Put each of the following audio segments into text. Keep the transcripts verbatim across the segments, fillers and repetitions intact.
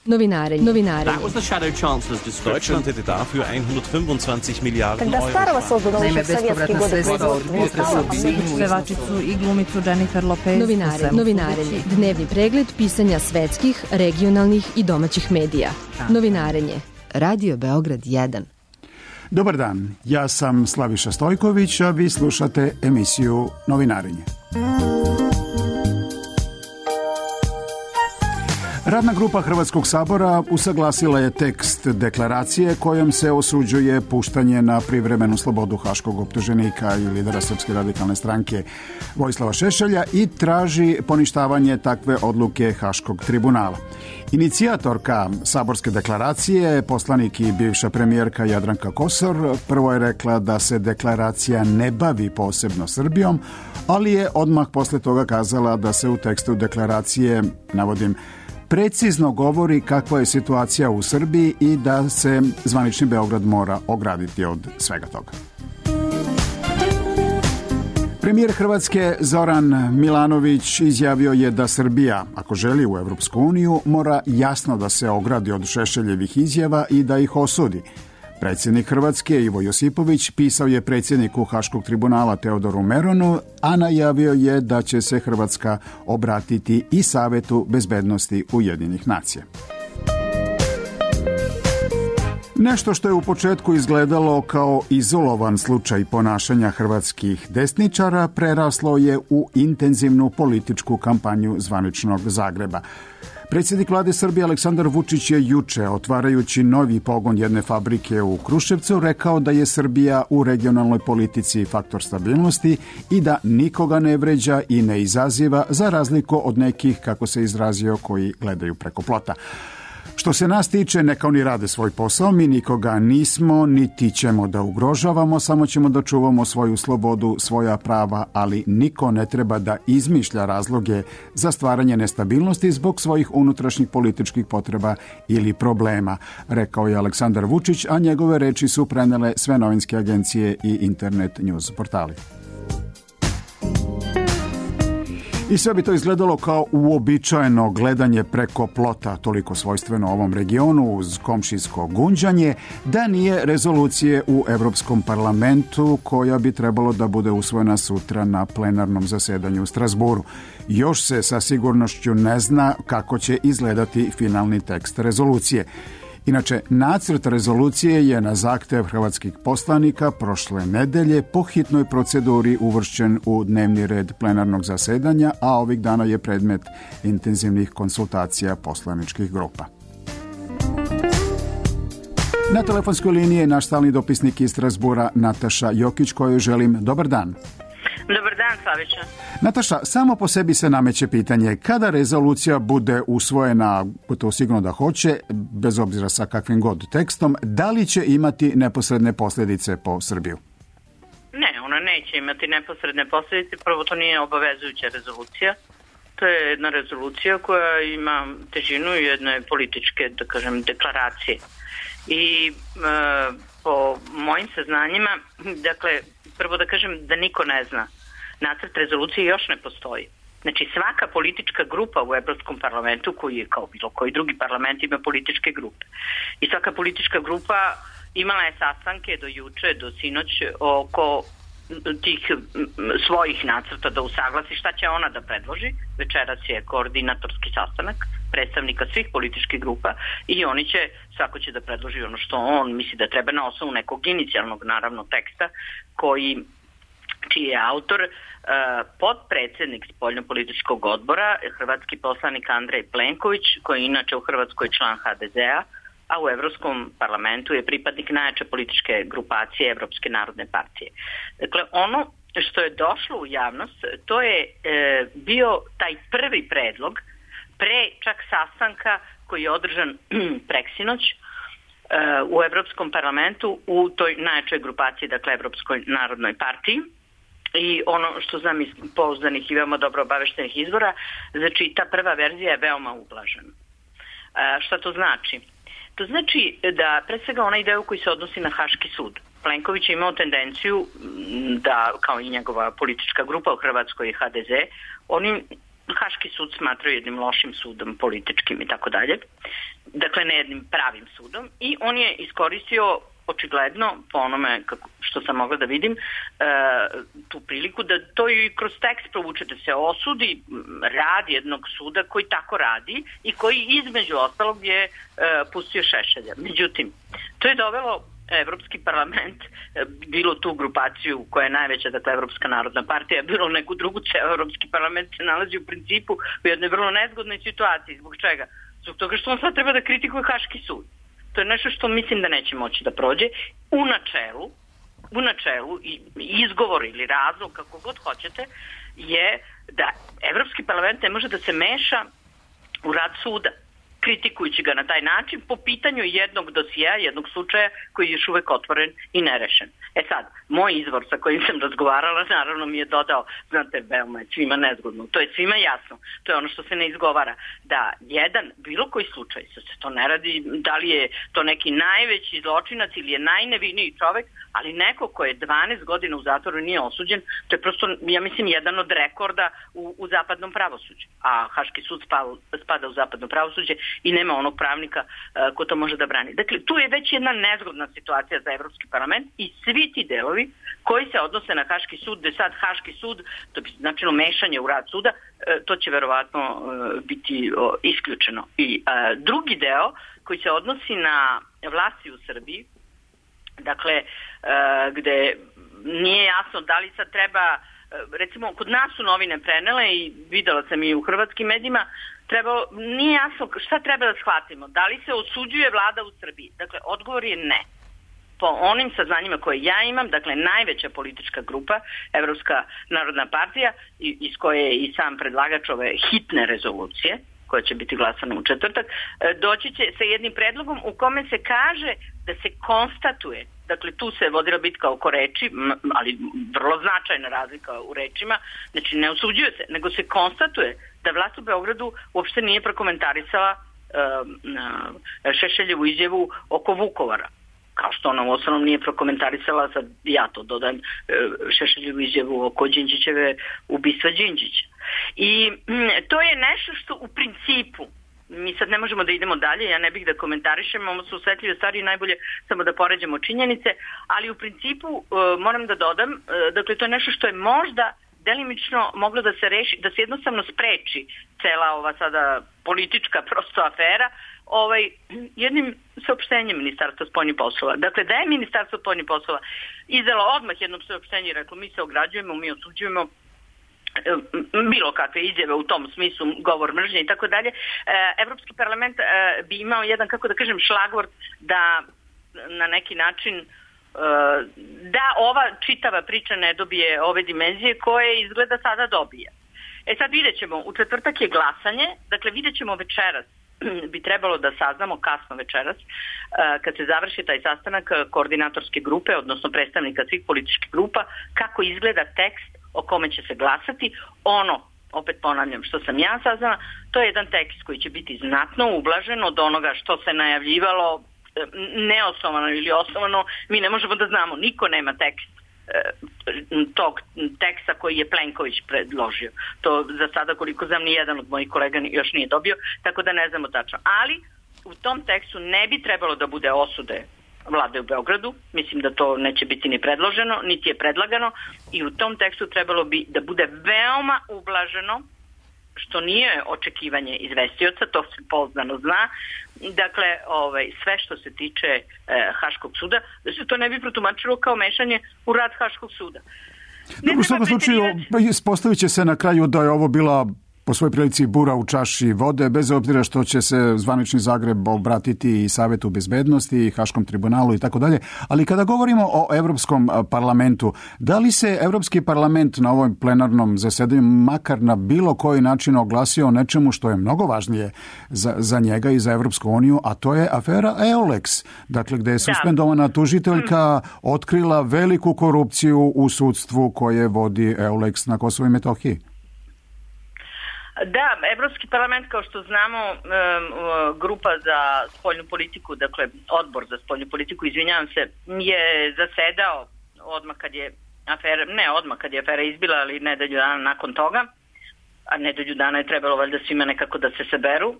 Novinarenje. Novinarenje. That was the shadow chancellor's description. Deutschland hätte dafür hundertfünfundzwanzig Milliarden Когда Euro. Старого создано Naime, еще в советские bespovratna годы sredstva od производства. pevačicu i glumicu Jennifer Lopez. Novinarenje. Novinarenje. Dnevni pregled pisanja svetskih, regionalnih i domaćih medija. Novinarenje. Radio Beograd jedan. Dobar dan, ja sam Slaviša Stojković, a vi slušate emisiju Novinarenje. Radna grupa Hrvatskog sabora usaglasila je tekst deklaracije kojom se osuđuje puštanje na privremenu slobodu haškog optuženika i lidera Srpske radikalne stranke Vojislava Šešelja i traži poništavanje takve odluke Haškog tribunala. Inicijatorka saborske deklaracije, poslanik i bivša premijerka Jadranka Kosor, prvo je rekla da se deklaracija ne bavi posebno Srbijom, ali je odmah posle toga kazala da se u tekstu deklaracije, navodim, precizno govori kakva je situacija u Srbiji i da se zvanični Beograd mora ograditi od svega toga. Premijer Hrvatske Zoran Milanović izjavio je da Srbija, ako želi u Evropsku uniju, mora jasno da se ogradi od Šešeljevih izjava i da ih osudi. Predsjednik Hrvatske Ivo Josipović pisao je predsjedniku Haškog tribunala Teodoru Meronu, a najavio je da će se Hrvatska obratiti i Savetu bezbednosti Ujedinjenih nacija. Nešto što je u početku izgledalo kao izolovan slučaj ponašanja hrvatskih desničara preraslo je u intenzivnu političku kampanju zvaničnog Zagreba. Predsjednik vlade Srbije Aleksandar Vučić je juče, otvarajući novi pogon jedne fabrike u Kruševcu, rekao da je Srbija u regionalnoj politici faktor stabilnosti i da nikoga ne vređa i ne izaziva, za razliku od nekih, kako se izrazio, koji gledaju preko plota. Što se nas tiče, neka oni rade svoj posao, mi nikoga nismo, niti ćemo da ugrožavamo, samo ćemo da čuvamo svoju slobodu, svoja prava, ali niko ne treba da izmišlja razloge za stvaranje nestabilnosti zbog svojih unutrašnjih političkih potreba ili problema, rekao je Aleksandar Vučić, a njegove reči su prenele sve novinske agencije i internet news portali. I sve bi to izgledalo kao uobičajeno gledanje preko plota, toliko svojstveno ovom regionu uz komšijsko gunđanje, da nije rezolucije u Evropskom parlamentu koja bi trebalo da bude usvojena sutra na plenarnom zasedanju u Strasburu. Još se sa sigurnošću ne zna kako će izgledati finalni tekst rezolucije. Inače, nacrt rezolucije je na zahtev hrvatskih poslanika prošle nedelje po hitnoj proceduri uvršćen u dnevni red plenarnog zasedanja, a ovih dana je predmet intenzivnih konsultacija poslaničkih grupa. Na telefonskoj liniji je naš stalni dopisnik iz Strasbura Nataša Jokić, kojoj želim dobar dan. Dobar dan, Slavića. Nataša, samo po sebi se nameće pitanje, kada rezolucija bude usvojena, to sigurno da hoće, bez obzira sa kakvim god tekstom, da li će imati neposredne posljedice po Srbiju? Ne, ona neće imati neposredne posljedice, prvo to nije obavezujuća rezolucija. To je jedna rezolucija koja ima težinu jedne političke, da kažem, deklaracije. I e, po mojim saznanjima, dakle, prvo da kažem da niko ne zna. Nacrt rezolucije još ne postoji. Znači svaka politička grupa u Evropskom parlamentu, koji je kao bilo koji drugi parlament, ima političke grupe. I svaka politička grupa imala je sastanke do juče, do sinoć oko tih svojih nacrta da usaglasi šta će ona da predloži. Večeras je koordinatorski sastanak predstavnika svih političkih grupa i oni će, svako će da predloži ono što on misli da treba na osnovu nekog inicijalnog, naravno, teksta koji, čiji je autor uh, podpredsednik spoljnopolitičkog odbora, hrvatski poslanik Andrej Plenković, koji je inače u Hrvatskoj član ha de ze a, a u Evropskom parlamentu je pripadnik najjače političke grupacije Evropske narodne partije. Dakle, ono što je došlo u javnost, to je e, bio taj prvi predlog pre čak sastanka koji je održan preksinoć e, u Evropskom parlamentu u toj najjačoj grupaciji, dakle Evropskoj narodnoj partiji. I ono što znam iz pouzdanih i veoma dobro obaveštenih izvora, znači ta prva verzija je veoma ublažena. E, šta to znači? To znači da pre svega onaj deo koji se odnosi na Haški sud. Plenković je imao tendenciju da, kao i njegova politička grupa u Hrvatskoj ha de ze, oni Haški sud smatraju jednim lošim sudom, političkim i tako dalje. Dakle, ne jednim pravim sudom. I on je iskoristio očigledno, po onome kako, što sam mogla da vidim, e, tu priliku da to i kroz tekst provuče, da se osudi rad jednog suda koji tako radi i koji između ostalog je e, pustio Šešelja. Međutim, to je dovelo Evropski parlament, bilo tu grupaciju koja je najveća, dakle Evropska narodna partija, bilo neku drugu, ceo Evropski parlament se nalazi u principu u jednoj vrlo nezgodnoj situaciji. Zbog čega? Zbog toga što on sad treba da kritikuje Haški sud. To je nešto što mislim da neće moći da prođe. U načelu, u načelu i izgovor ili razlog, kako god hoćete, je da Evropski parlament ne može da se meša u rad suda, kritikujući ga na taj način po pitanju jednog dosija, jednog slučaja koji je još uvek otvoren i nerešen. E sad, moj izvor sa kojim sam razgovarala naravno mi je dodao, znate, veoma je svima nezgodno, to je svima jasno, to je ono što se ne izgovara, da jedan, bilo koji slučaj, se to ne radi, da li je to neki najveći zločinac ili je najneviniji čovek, ali neko ko je dvanaest godina u zatvoru nije osuđen, to je prosto, ja mislim, jedan od rekorda u, u zapadnom pravosuđu. A Haški sud spada, spada u zapadno pravosuđe i nema onog pravnika uh, ko to može da brani. Dakle, tu je već jedna nezgodna situacija za Evropski parlament i svi ti delovi koji se odnose na Haški sud, gde sad Haški sud, to bi značilo mešanje u rad suda, uh, to će verovatno uh, biti uh, isključeno. I uh, drugi deo koji se odnosi na vlasti u Srbiji, dakle, uh, gde nije jasno da li sad treba, uh, recimo, kod nas su novine prenele i videla sam i u hrvatskim medijima, treba, nije jasno šta treba da shvatimo. Da li se osuđuje vlada u Srbiji? Dakle, odgovor je ne. Po onim saznanjima koje ja imam, dakle, najveća politička grupa, Evropska narodna partija, iz koje je i sam predlagač ove hitne rezolucije, koja će biti glasana u četvrtak, doći će sa jednim predlogom u kome se kaže da se konstatuje, dakle tu se vodila bitka oko reči, ali vrlo značajna razlika u rečima, znači ne osuđuje se, nego se konstatuje da vlast u Beogradu uopšte nije prokomentarisala uh, Šešeljevu izjavu oko Vukovara. Kao što ona u osnovnom nije prokomentarisala, sad ja to dodajem, Šešeljevu izjavu oko Đinđićeve ubistva Đinđića. I m, to je nešto što u principu, mi sad ne možemo da idemo dalje, ja ne bih da komentarišem, ovo su osvetljive stvari, najbolje samo da poređamo činjenice, ali u principu uh, moram da dodam, uh, dakle to je nešto što je možda delimično moglo da se reši, da se jednostavno spreči cela ova sada politička prosto afera, ovaj, jednim saopštenjem Ministarstva spoljnih poslova. Dakle, da je Ministarstvo spoljnih poslova izdalo odmah jednom saopštenje i reklo mi se ograđujemo, mi osuđujemo bilo kakve izjave u tom smislu, govor mržnje i tako dalje, Evropski parlament bi imao jedan, kako da kažem, šlagvort da na neki način da ova čitava priča ne dobije ove dimenzije koje izgleda sada dobije. E sad vidjet ćemo, u četvrtak je glasanje, dakle vidjet ćemo večeras, bi trebalo da saznamo kasno večeras, kad se završi taj sastanak koordinatorske grupe, odnosno predstavnika svih političkih grupa, kako izgleda tekst o kome će se glasati. Ono, opet ponavljam, što sam ja saznala, to je jedan tekst koji će biti znatno ublažen od onoga što se najavljivalo, neosnovano ili osnovano, mi ne možemo da znamo, niko nema tekst tog teksta koji je Plenković predložio. To za sada, koliko znam, ni jedan od mojih kolega još nije dobio, tako da ne znamo tačno. Ali u tom tekstu ne bi trebalo da bude osude vlade u Beogradu, mislim da to neće biti ni predloženo, niti je predlagano, i u tom tekstu trebalo bi da bude veoma ublaženo, što nije očekivanje izvestioca, to se pouzdano zna. Dakle, ovaj, sve što se tiče e, Haškog suda, da se to ne bi protumačilo kao mešanje u rad Haškog suda. Dobro, u svakom slučaju, ispostavit će se na kraju da je ovo bila po svojoj prilici bura u čaši vode, bez obzira što će se zvanični Zagreb obratiti i Savetu bezbednosti i Haškom tribunalu i tako dalje. Ali kada govorimo o Evropskom parlamentu, da li se Evropski parlament na ovom plenarnom zasedanju makar na bilo koji način oglasio o nečemu što je mnogo važnije za, za njega i za Evropsku uniju, a to je afera Eulex, dakle gde je suspendovana tužiteljka otkrila veliku korupciju u sudstvu koje vodi Eulex na Kosovu i Metohiji? Da, Evropski parlament, kao što znamo, grupa za spoljnu politiku, dakle odbor za spoljnu politiku, izvinjavam se, je zasedao odmah kad je afera, ne odmah kad je afera izbila, ali nedelju dana nakon toga. a nedelju dana je trebalo valjda svima nekako da se saberu,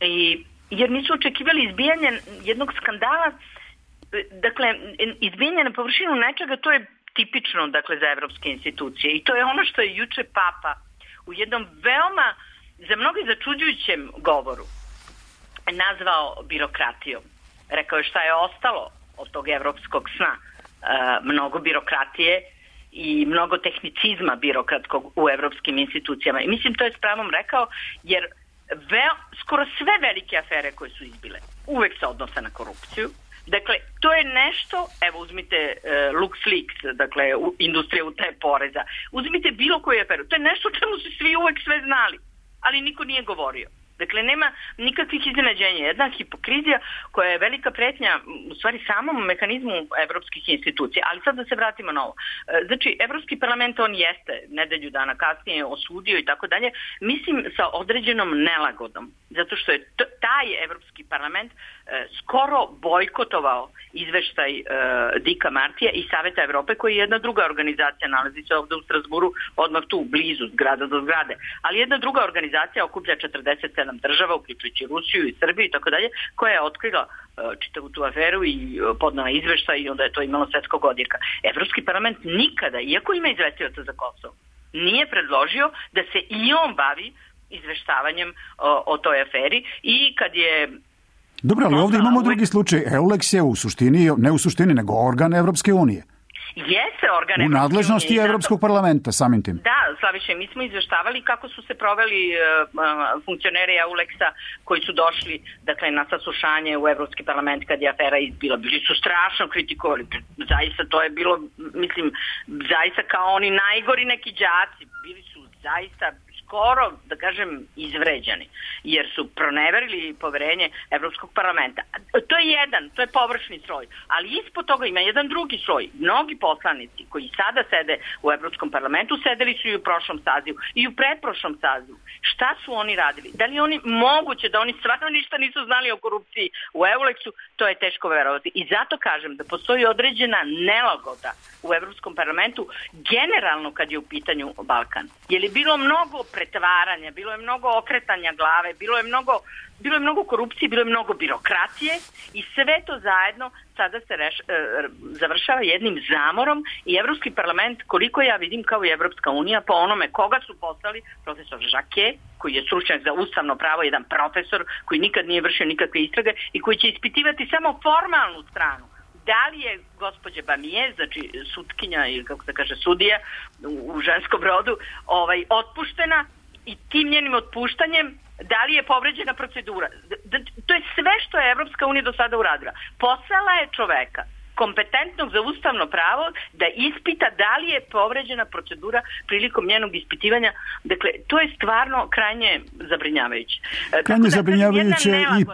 i, jer nisu očekivali izbijanje jednog skandala, dakle, izbijanje na površinu nečega, to je tipično, dakle, za evropske institucije, i to je ono što je juče Papa u jednom veoma, za mnogi začuđujućem govoru nazvao birokratijom. Rekao je šta je ostalo od tog evropskog sna. E, mnogo birokratije i mnogo tehnicizma birokratskog u evropskim institucijama. I mislim, to je s pravom rekao, jer veo, skoro sve velike afere koje su izbile uvek se odnose na korupciju. Dakle, to je nešto, evo uzmite uh, LuxLeaks, dakle u, industrija utaje poreza, uzmite bilo koju aferu, to je nešto o čemu su svi uvek sve znali, ali niko nije govorio. Dakle, nema nikakvih iznenađenja. Jedna hipokrizija koja je velika pretnja u stvari samom mehanizmu evropskih institucija. Ali sad da se vratimo na ovo. Znači, Evropski parlament, on jeste nedelju dana kasnije osudio i tako dalje, mislim sa određenom nelagodom. Zato što je t- taj Evropski parlament e, skoro bojkotovao izveštaj e, Dicka Martija i Saveta Evrope, koji je jedna druga organizacija, nalazi se ovde u Strasburu, odmah tu, blizu, zgrada do zgrade. Ali jedna druga organizacija okuplja četrdeset sedam država, uključujući Rusiju i Srbiju i tako dalje, koja je otkrila e, čitavu tu aferu i e, podnala izveštaj i onda je to imalo svetskog odjeka. Evropski parlament nikada, iako ima izvestioca za Kosovo, nije predložio da se i on bavi izveštavanjem o, o toj aferi, i kad je... Dobro, ali ovdje imamo drugi slučaj. Eulex je u suštini, ne u suštini, nego organ Evropske unije. Jeste organ u nadležnosti unije, Evropskog zato... parlamenta, samim tim. Da, Slaviše, mi smo izveštavali kako su se proveli uh, funkcioneri Eulexa koji su došli, dakle, na saslušanje u Evropski parlament kad je afera izbila. Bili su strašno kritikovali. Zaista to je bilo, mislim, zaista kao oni najgori neki đaci. Bili su zaista skoro, da kažem, izvređani, jer su proneverili poverenje Evropskog parlamenta. To je jedan, to je površni sloj, ali ispod toga ima jedan drugi sloj. Mnogi poslanici koji sada sede u Evropskom parlamentu, sedeli su i u prošlom sazivu i u pretprošlom sazivu. Šta su oni radili? Da li oni moguće da oni stvarno ništa nisu znali o korupciji u Eulexu? To je teško verovati. I zato kažem da postoji određena nelagoda u Evropskom parlamentu, generalno kad je u pitanju Balkan. Je li bilo mnogo pretvaranja, bilo je mnogo okretanja glave, bilo je mnogo, bilo je mnogo korupcije, bilo je mnogo birokratije, i sve to zajedno sada se reš, e, završava jednim zamorom, i Evropski parlament, koliko ja vidim, kao i Evropska unija, po onome koga su poslali, profesor Jacquet, koji je stručnjak za ustavno pravo, jedan profesor koji nikad nije vršio nikakve istrage i koji će ispitivati samo formalnu stranu. Da li je gospođa Bamije, znači sutkinja ili kako se kaže sudija u, u ženskom rodu, ovaj, otpuštena, i tim njenim otpuštanjem da li je povređena procedura. Da, to je sve što je Evropska unija do sada uradila. Poslala je čoveka kompetentnog za ustavno pravo da ispita da li je povređena procedura prilikom njenog ispitivanja. Dakle, to je stvarno krajnje zabrinjavajuće. Krajnje zabrinjavajuće i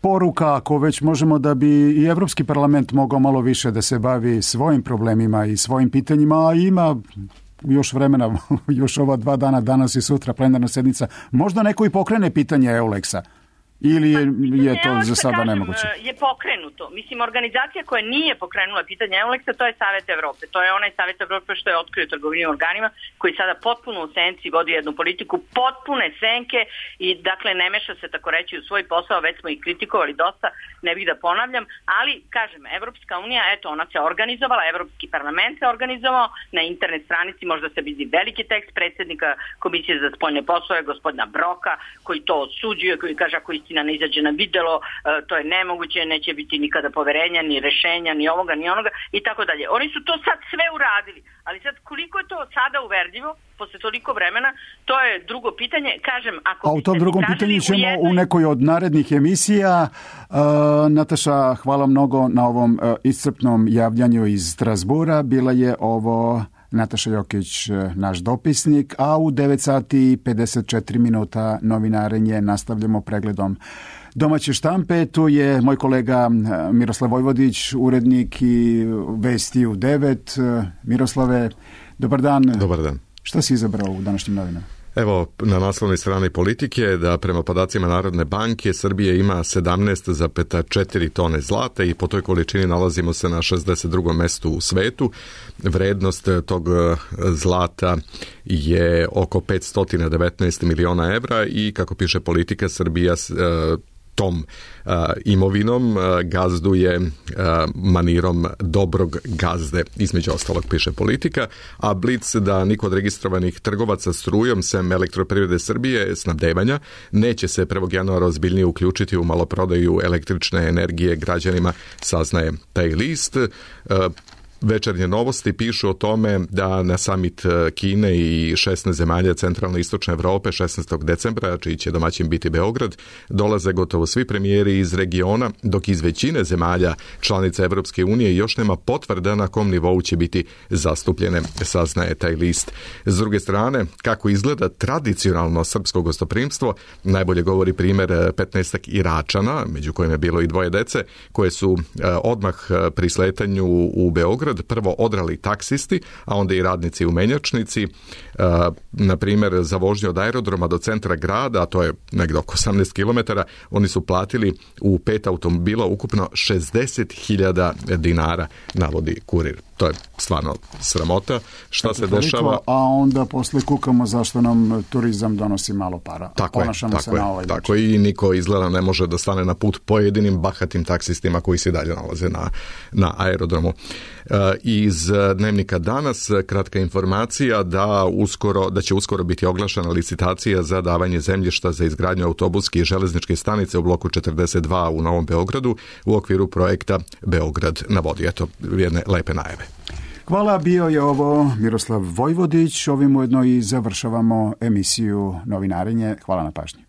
poruka, ako već možemo, da bi i Evropski parlament mogao malo više da se bavi svojim problemima i svojim pitanjima, a ima još vremena, još ova dva dana, danas i sutra plenarna sednica, možda neko i pokrene pitanje Eulexa. Ili je, je to za sada kažem, nemoguće? Je pokrenuto. Mislim, organizacija koja nije pokrenula pitanje Eulexa, to je Savet Evrope. To je onaj Savet Evrope što je otkrio trgovinim organima, koji sada potpuno u senci vodi jednu politiku, potpune senke, i dakle ne meša se, tako reći, u svoj posao. Već smo ih kritikovali dosta, ne bih da ponavljam, ali kažem, Evropska unija, eto, ona se organizovala, Evropski parlament se organizovao, na internet stranici možda se vidi veliki tekst predsjednika Komisije za spoljne poslove, gospodina Broka, koji to odsuđuje, koji kaže ako istina ne izađe na videlo, to je nemoguće, neće biti nikada poverenja, ni rešenja, ni ovoga, ni onoga i tako dalje. Oni su to sad sve uradili, ali sad koliko je to sada uverljivo posle toliko vremena, to je drugo pitanje. Kažem, ako a u tom drugom pitanju ćemo u, jednoj... u nekoj od narednih emisija. Uh, Nataša, hvala mnogo na ovom uh, iscrpnom javljanju iz Strasbura. Bila je ovo Nataša Jokić, naš dopisnik, a u devet sati i pedeset četiri minuta novinarenje nastavljamo pregledom domaće štampe. Tu je moj kolega Miroslav Vojvodić, urednik i vesti u devet. Miroslave, dobar dan. Dobar dan. Šta si izabrao u današnjim novinama? Evo, na naslovnoj strani Politike da prema podacima Narodne banke Srbija ima sedamnaest zarez četiri tone zlata i po toj količini nalazimo se na šezdeset drugom mestu u svetu. Vrednost tog zlata je oko petsto devetnaest miliona evra i kako piše Politika, Srbija tom uh, imovinom uh, gazduje uh, manirom dobrog gazde, između ostalog piše Politika, a Blic da niko od registrovanih trgovaca strujom sem Elektroprivrede Srbije snabdevanja neće se prvog januara ozbiljnije uključiti u maloprodaju električne energije građanima, saznaje taj list. Uh, Večernje novosti pišu o tome da na samit Kine i šesnaest zemalja centralne i istočne Evrope šesnaestog decembra, čiji će domaćin biti Beograd, dolaze gotovo svi premijeri iz regiona, dok iz većine zemalja članica Evropske unije još nema potvrda na kom nivou će biti zastupljene, saznaje taj list. S druge strane, kako izgleda tradicionalno srpsko gostoprimstvo, najbolje govori primjer petnaestak Iračana, među kojima je bilo i dvoje dece, koje su odmah pri sletanju u Beograd prvo odrali taksisti, a onda i radnici u menjačnici. Na primjer, za vožnju od aerodroma do centra grada, a to je negdje oko osamnaest kilometara, oni su platili u pet automobila ukupno šezdeset hiljada dinara, navodi Kurir. To je stvarno sramota. Šta se dešava? A onda posle kukamo zašto nam turizam donosi malo para. Tako je, tako je, na tako je. I niko izgleda ne može da stane na put pojedinim bahatim taksistima koji se dalje nalaze na, na aerodromu. Iz Dnevnika danas kratka informacija da uskoro da će uskoro biti oglašena licitacija za davanje zemljišta za izgradnju autobuske i železničke stanice u bloku četrdeset dva u Novom Beogradu u okviru projekta Beograd na vodi. Eto, jedne lepe najave. Hvala, bio je ovo Miroslav Vojvodić. Ovim ujedno i završavamo emisiju Novinarenje. Hvala na pažnji.